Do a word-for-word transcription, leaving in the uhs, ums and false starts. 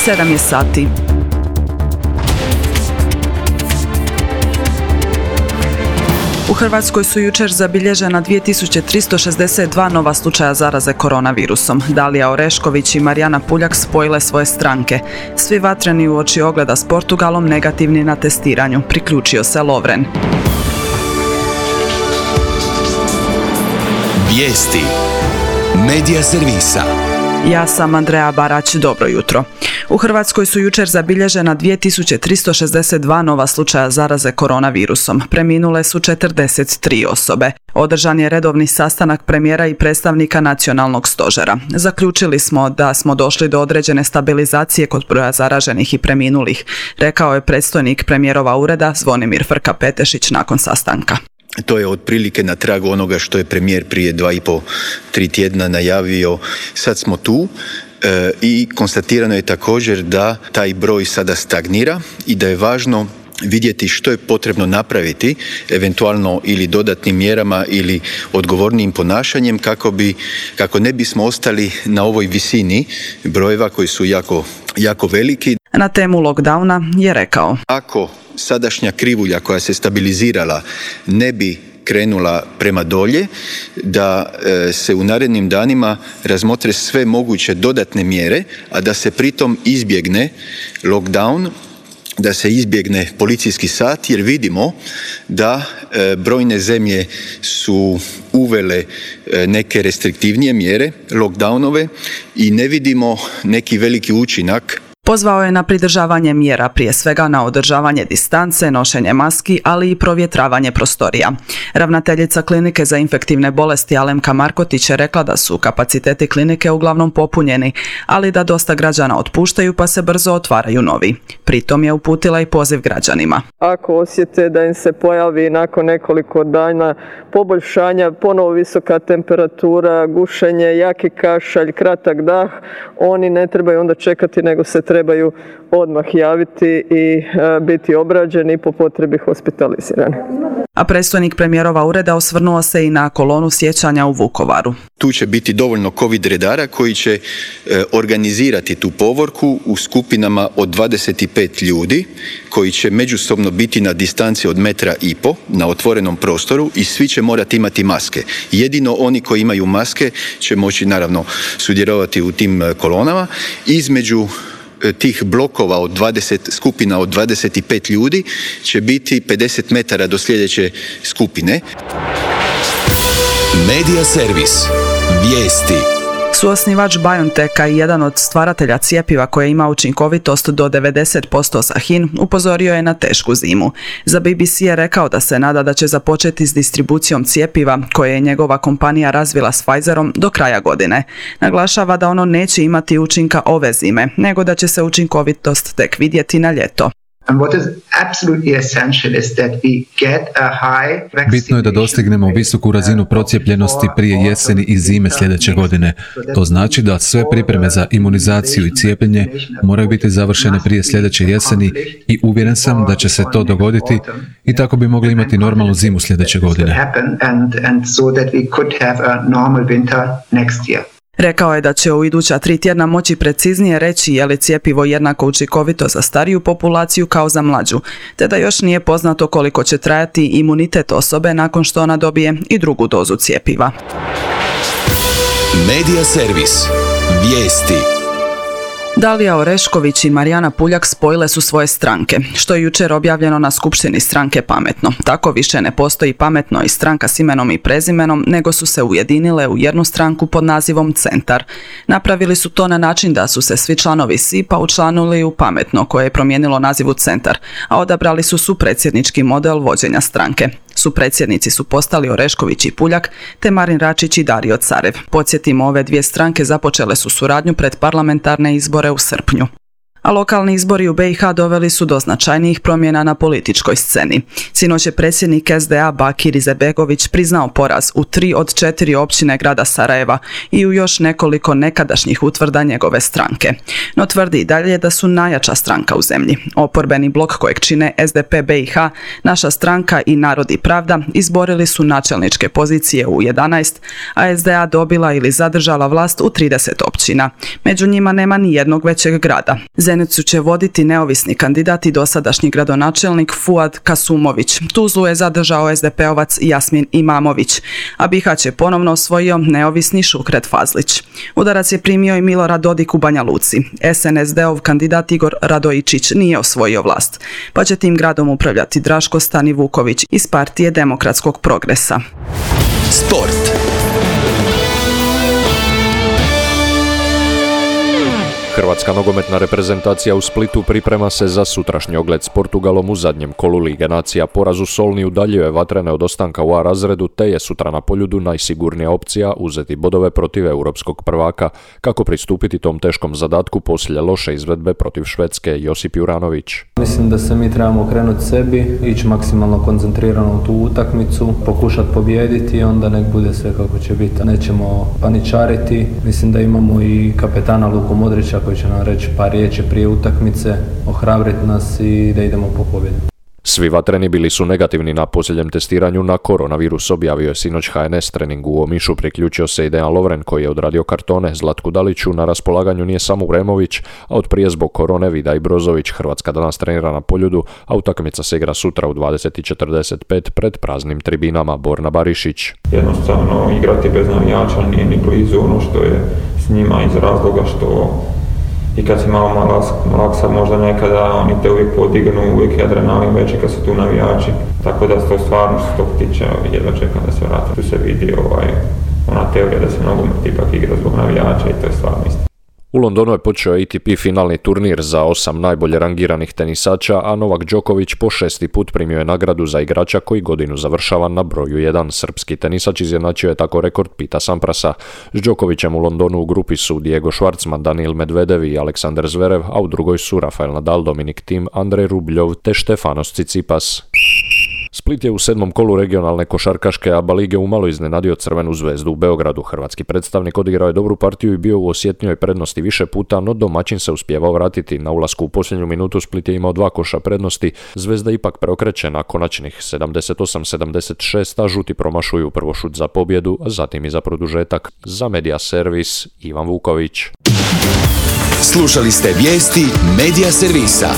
sedam je sati. U Hrvatskoj su jučer zabilježena dvije tisuće tristo šezdeset dva nova slučaja zaraze koronavirusom. Dalija Orešković i Marijana Puljak spojile svoje stranke. Svi vatreni uoči ogleda s Portugalom negativni na testiranju. Priključio se Lovren. Vijesti Medija servisa. Ja sam Andreja Barać, dobro jutro. U Hrvatskoj su jučer zabilježena dvije tisuće tristo šezdeset dva nova slučaja zaraze koronavirusom. Preminule su četrdeset tri osobe. Održan je redovni sastanak premijera i predstavnika nacionalnog stožera. Zaključili smo da smo došli do određene stabilizacije kod broja zaraženih i preminulih, rekao je predstojnik premijerova ureda Zvonimir Frka-Petešić nakon sastanka. To je otprilike na tragu onoga što je premijer prije dva i po, tri tjedna najavio. Sad smo tu e, i konstatirano je također da taj broj sada stagnira i da je važno vidjeti što je potrebno napraviti, eventualno ili dodatnim mjerama ili odgovornijim ponašanjem kako bi, kako ne bismo ostali na ovoj visini brojeva koji su jako, jako veliki. Na temu lockdowna je rekao: Ako sadašnja krivulja koja se stabilizirala ne bi krenula prema dolje, da e, se u narednim danima razmotre sve moguće dodatne mjere, a da se pritom izbjegne lockdown, da se izbjegne policijski sat, jer vidimo da e, brojne zemlje su uvele e, neke restriktivnije mjere, lockdownove, i ne vidimo neki veliki učinak. Pozvao je na pridržavanje mjera, prije svega na održavanje distance, nošenje maski, ali i provjetravanje prostorija. Ravnateljica klinike za infektivne bolesti Alemka Markotić je rekla da su kapaciteti klinike uglavnom popunjeni, ali da dosta građana otpuštaju pa se brzo otvaraju novi. Pritom je uputila i poziv građanima. Ako osjete da im se pojavi nakon nekoliko dana poboljšanja, ponovo visoka temperatura, gušenje, jaki kašalj, kratak dah, oni ne trebaju onda čekati, nego se trebaju odmah javiti i e, biti obrađeni i po potrebi hospitalizirani. A predstojnik premijerova ureda osvrnuo se i na kolonu sjećanja u Vukovaru. Tu će biti dovoljno covid redara koji će e, organizirati tu povorku u skupinama od dvadeset pet ljudi koji će međusobno biti na distanci od metra i po na otvorenom prostoru i svi će morati imati maske. Jedino oni koji imaju maske će moći naravno sudjelovati u tim kolonama. Između tih blokova od dvadeset skupina od dvadeset pet ljudi će biti pedeset metara do sljedeće skupine. Medija servis. Vijesti. Suosnivač BioNTecha i jedan od stvaratelja cjepiva koje ima učinkovitost do devedeset posto za H I N upozorio je na tešku zimu. Za B B C je rekao da se nada da će započeti s distribucijom cjepiva koje je njegova kompanija razvila s Pfizerom do kraja godine. Naglašava da ono neće imati učinka ove zime, nego da će se učinkovitost tek vidjeti na ljeto. Bitno je da dostignemo visoku razinu procijepljenosti prije jeseni i zime sljedeće godine. To znači da sve pripreme za imunizaciju i cijepljenje moraju biti završene prije sljedeće jeseni i uvjeren sam da će se to dogoditi i tako bi mogli imati normalnu zimu sljedeće godine. Rekao je da će u iduća tri tjedna moći preciznije reći je li cjepivo jednako učinkovito za stariju populaciju kao za mlađu, te da još nije poznato koliko će trajati imunitet osobe nakon što ona dobije i drugu dozu cjepiva. Medija servis. Vijesti. Dalija Orešković i Marijana Puljak spojile su svoje stranke, što je jučer objavljeno na skupštini stranke Pametno. Tako više ne postoji Pametno i stranka s imenom i prezimenom, nego su se ujedinile u jednu stranku pod nazivom Centar. Napravili su to na način da su se svi članovi S I P-a učlanili u Pametno, koje je promijenilo naziv u Centar, a odabrali su supredsjednički model vođenja stranke. Supredsjednici su postali Orešković i Puljak, te Marin Račić i Dario Carev. Podsjetimo, ove dvije stranke započele su suradnju pred parlamentarne izbore u srpnju. A lokalni izbori u B i H doveli su do značajnijih promjena na političkoj sceni. Sinoć je predsjednik S D A Bakir Izetbegović priznao poraz u tri od četiri općine grada Sarajeva i u još nekoliko nekadašnjih utvrda njegove stranke. No tvrdi i dalje da su najjača stranka u zemlji. Oporbeni blok kojeg čine S D P B i H, Naša stranka i Narod i Pravda izborili su načelničke pozicije u jedanaest, a S D A dobila ili zadržala vlast u trideset općina. Među njima nema ni jednog većeg grada. Srebrenicu će voditi neovisni kandidat i dosadašnji gradonačelnik Fuad Kasumović. Tuzlu je zadržao es de pe-ovac Jasmin Imamović, a Bihać je ponovno osvojio neovisni Šukret Fazlić. Udarac je primio i Milorad Dodik u Banja Luci. es en es de-ov kandidat Igor Radojičić nije osvojio vlast, pa će tim gradom upravljati Draško Stanivuković iz partije Demokratskog progresa. Sport. Hrvatska nogometna reprezentacija u Splitu priprema se za sutrašnji ogled s Portugalom u zadnjem kolu Lige nacija. Poraz u Solni udaljuje Vatrene od ostanka u A razredu, te je sutra na Poljudu najsigurnija opcija uzeti bodove protiv europskog prvaka. Kako pristupiti tom teškom zadatku poslije loše izvedbe protiv Švedske? Josip Juranović. Mislim da se mi trebamo okrenuti sebi, ići maksimalno koncentrirano u tu utakmicu, pokušati pobijediti i onda nek bude sve kako će biti. Nećemo paničariti. Mislim da imamo i kapetana Luku Modrića koji će nam reći par riječi prije utakmice, ohrabriti nas i da idemo po pobjedu. Svi Vatreni bili su negativni na posljednjem testiranju na koronavirus, objavio je sinoć ha en es treningu u Omišu. Priključio se i Dejan Lovren koji je odradio kartone. Zlatku Daliću na raspolaganju nije samo Uremović, a od prije zbog korone Vida i Brozović. Hrvatska danas trenira na Poljudu, a utakmica se igra sutra u dvadeset i četrdeset pet pred praznim tribinama. Borna Barišić. Jednostavno igrati bez navijača nije ni blizu ono što je s njima iz razloga što i kad si malo malaksa, možda nekada oni te uvijek podignu, uvijek je adrenalin veći kad su tu navijači. Tako da to stvarno što se tog tiče, jedva čekam da se vratim. Tu se vidi ovaj, ona teorija da se nogomet ipak igra zbog navijača i to je stvarno isto. U Londonu je počeo A T P finalni turnir za osam najbolje rangiranih tenisača, a Novak Đoković po šesti put primio je nagradu za igrača koji godinu završava na broju jedan. Srpski tenisač izjednačio je tako rekord Pita Samprasa. S Đokovićem u Londonu u grupi su Diego Schwartzman, Daniil Medvedev i Aleksandar Zverev, a u drugoj su Rafael Nadal, Dominik Thiem, Andrej Rubljov te Stefanos Tsitsipas. Split je u sedmom kolu regionalne košarkaške A B A lige umalo iznenadio Crvenu zvezdu u Beogradu. Hrvatski predstavnik odigrao je dobru partiju i bio u osjetnijoj prednosti više puta, no domaćin se uspijevao vratiti. Na ulasku u posljednju minutu Split je imao dva koša prednosti. Zvezda ipak preokreće na konačnih sedamdeset osam sedamdeset šest, a žuti promašuju prvo šut za pobjedu, a zatim i za produžetak. Za Media Servis Ivan Vuković. Slušali ste vijesti Media Servisa.